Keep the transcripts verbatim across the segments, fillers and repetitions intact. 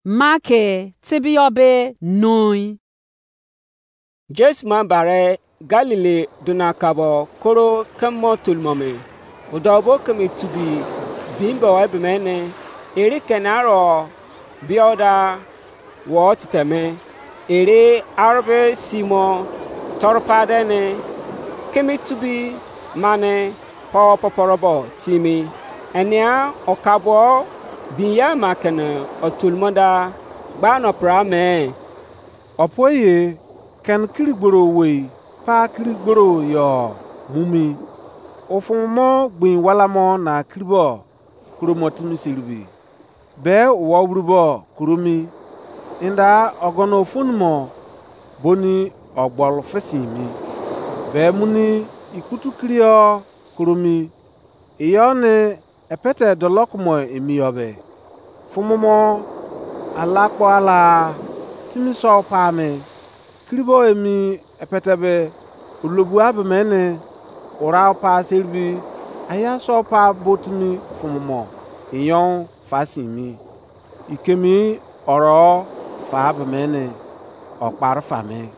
Mark tebiyọ be noi. Jesu ma bare Galili dona kabo koro kemo tolmome. Odo bo keme tubi bimbo ebemene. Eri kene aro bioda wo titeme. Eri arbe simo torpadene keme tubi mane po poporobo timi. Enia okabo binyama kene otolmoda gba no pra me. Opo ye, ken kiri gboro owei, pa kiri gboro yo mumi. Ofumu mo gbin wala mo na kiribo kuro mo timi seribi. Be wo wuribo kuro mi. Inda ogono ofun mo boni ogbol fesin mi. Be muni ikputu kirio kuro mi. Iyo ne epete dolok mo emi yo be. Fumu mo ala kpo ala timi so pa me. Kiribo emi epete be olobua be mene ora pa seribi aya so pa botimi fumu mo inyo fa sin mi. Ikemi oro fa be mene okpar fa me.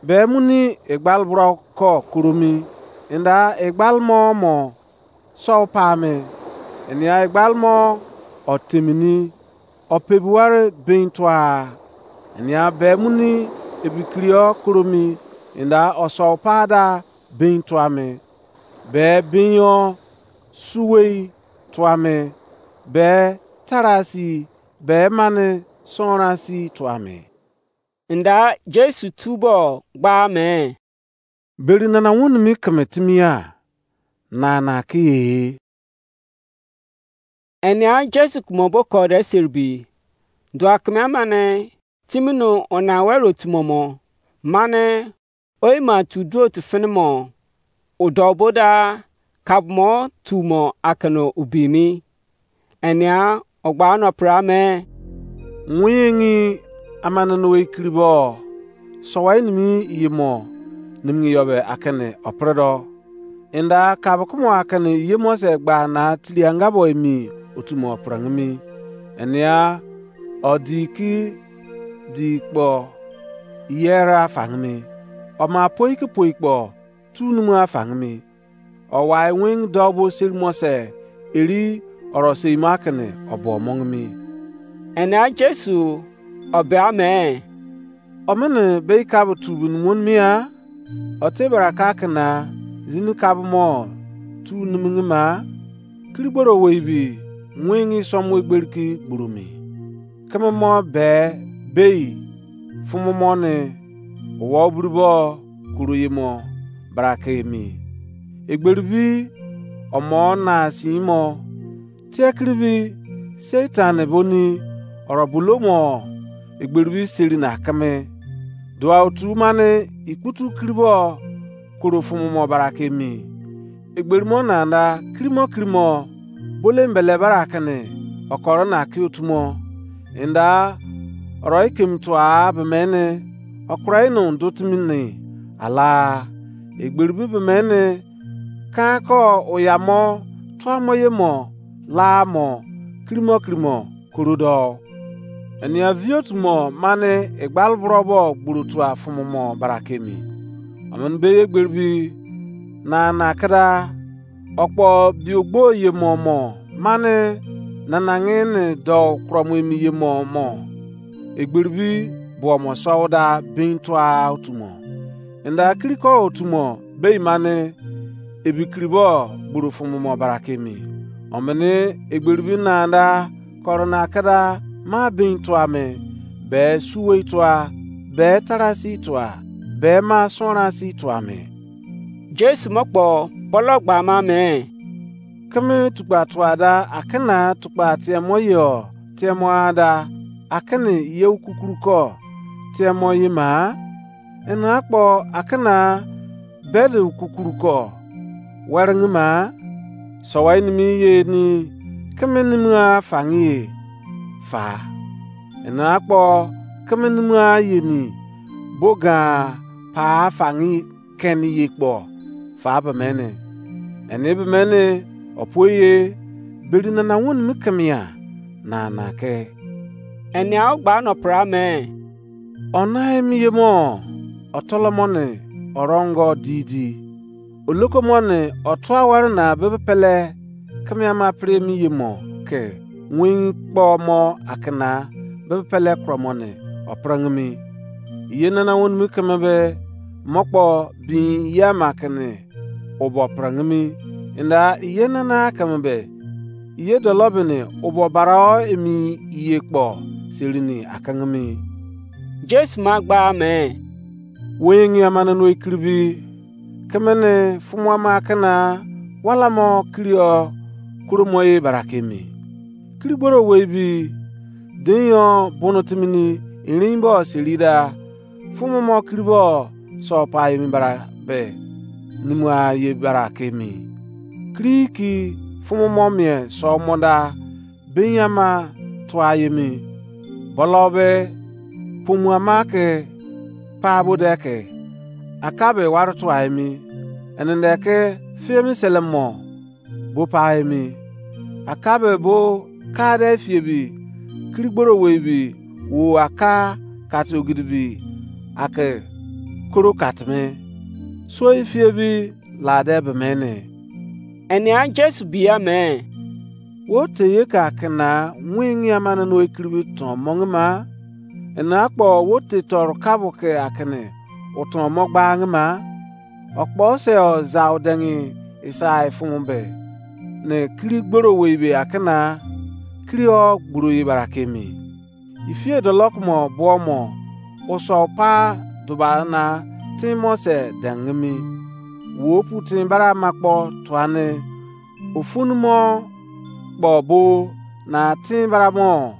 Be muni egbal bro ko kuro mi. Inda egbal mo mo so pa me. Enia egbal mo otemini opebuware bin tua. Enia be muni ebikirio kuro mi. Inda oso pa da bin tua me. Be bin yo suwei tua me. Be tarasi be mane sonrasi tua me. Nda Jesu tubo gba me. Beri nana woni mi keme timi ya, na na ke ye. Enia Jesu kumo bo kode seribi. Dua keme amane timi no ona wero tumo mo. Mane oima tu duo tu fini mo. Udo bo da kabo mo tu mo akene ubi mi. Enia ogba no pra me. Nwinyi amane no ekiri bo. Sowai nimi iye mo. Nimi yo be akene opredo. Inda kabo kumo akene iye mo se gba na tiri anga bo emi otu mo prangimi. Enia odi ki di kpo yera fangimi. Oma poi ki poi kpo tu numu afangimi. Owai wing dou bo seri mo se eri oro sei mo akene obo mongimi. Enia Jesu obe ame. Omene be ka bo tu bu numu mi a? Ote bara ka kena zini ka bo mo tu numu ma? Kiri gboro wei bi wing som we gberi ki gburu mi. Keme mo be bei fumu mo ne wo buru bo kuru ye mo barake emi. Egberi bi omo na si mo. Tie kiri bi Satan boni oro bulo mo egberi bi seri na keme. Dua otu mane ikputu kiri bo koro fumu mo barake emi. Egberi mo na nda kirimo kirimo bole mbele bara kene okoro na ki otu mo. Inda oro ikem tua be mene okura ino dutimi ni ala. Egberi bi be mene kan ko oya mo tua mo ye mo la mo kirimo kirimo korodo. Enia vio tumo mane egbal bro bo gburu tua fumu mo barakemi. Amen be ye gberi bi na na keda okpo biogbo ye mo mo mane nanange ne do kromo emi ye mo mo. Egberi bi bo mo so da bin tua otumo. Inda kiriko otumo bei mane ebi kiribo gburu fumu mo barakemi. Omene egberi bi nanda korona keda ma bin tua me be suwei tua be tarasi tua be ma sonrasi tua me. Jesu mo kpo bolo gba ma me. Keme tukpa tua da akena tukpa tiemo yo tiemo ada akene ye ukukuru ko tiemo ye ma. Ena akpo akena bede ukukuru ko weringi ma. Sowai nimi ye ni keme nimi a fangi ye fa. Ena akpo keme nimi a ye ni boga pa fangi keni ye kpo fa be mene. Eni be mene opo ye beri nana woni mi kemia na na ke. Enia o gba no pra me? Ona emi ye mo, otolomo ne orongo didi. Oloko mo ne otua ware na bebe pele keme ama pre emi ye mo ke win kpo mo akena bebe pele kro mo ne oprengimi. Iye nana wonimi keme be mo kpo bin ye ama kene obo prengimi. Enda iye nana keme be iye dolo bene obo barao emi iye kpo serini akengimi. Jesu ma gba me, wo yengi ama nanu ekiribi keme ne fumu ama kena wala mo kirio kuro mo ye barake emi. Kiri gboro wei bi den yo bono timini erin bo seri da fumu mo kiri bo so pa emi bara be nimu a ye bara ke emi. Kiri ki fumu mo mie so mo da ben ama tua ye mi. Bolo be pomu ama ke pa bo de ke aka be ware tua emi. Ene de ke fie mi sele mo bo pa emi. Aka be bo ka de fie bi kiri gboro wei bi wo aka kati ogidi bi ake koro kati me. So ifie bi la de be me ne. Enia Jesu bia me, wo te ye ka kena wingi ama no ekiri bi ton mongi ma? Ena kpo wo te toru kabo ke akene uton mo gbangi ma? Okpo se o za odengi isai fumu be ne kiri gboro wei be akena kiri o gburu ye bara kemi. Ifie dolok mo buo mo uso pa duba na tin mo se dengimi. Wo pu tin bara ma kpo tuane ofun mo kpo bo na tin bara mo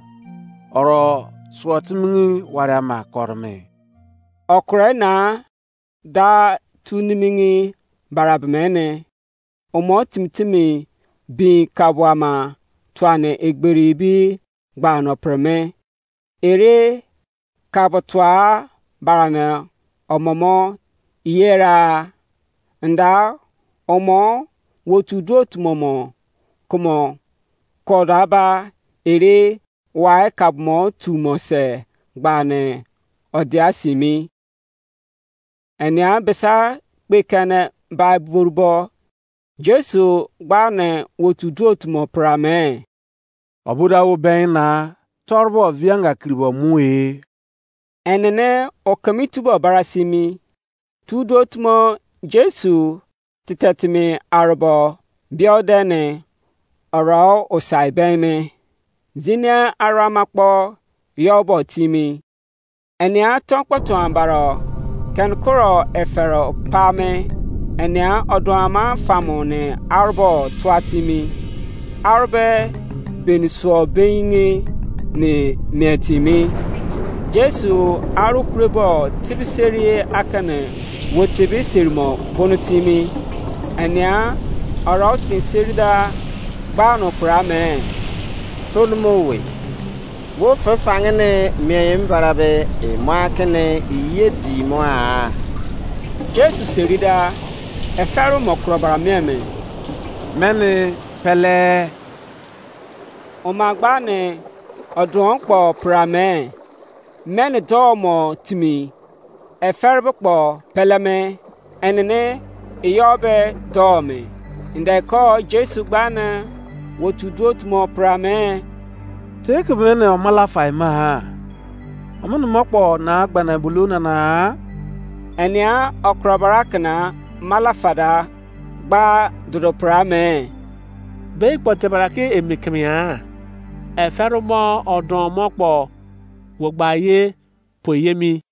oro suo timini wari ama korome. Okure na da tu nimini bara bemene, omo timi timi bin kabuama tuane egberi bi gba no preme. Ere kabutua barane omomo iyera nda omo wotu duo tumomo kumo koda ba ere wai kabumo tumo se gbane odia simi. Enia besa kpekene bai burbo Jesu gbane wotu duo tumo prame. Obuda wo ben na torbo vianga kiribo mu e. Enene okemi tubo barasimi tu duo tumo Jesu titetimi arabo biodene oro osai ben me. Zinia arama kpo yobo timi. Enia tọnkpọtọn baro kenkuro efero pame. Enia ọdụama famu ne arụbọ tua timi. Arụbọ beni suo beinge ne mie timi. Jesu arụ kurebo tibiseri akene wo tibi serimo bunu timi. Enia ọrọ tin serida gba no kura me. Tolumo we. Wo fe fange ne mien mbara be emo akene iye di mo a? Jesu seri da, efero mo kuro bara mien me. Mene pele. Oma gba ne odon kpo pra me. Mene do mo timi. Efere be kpo peleme, enene eyo be doo me. Ndeko Jesu gbane wotu duo tumo pra me. Teke mene omala fai ma? Omene mo kpo na gbane bulu nana? Enia okrobara kena mala fada gba dodo pra me. Be ikpo tebara ke emi kemia? Efere mo odon mo kpo wo gba ye po yemi.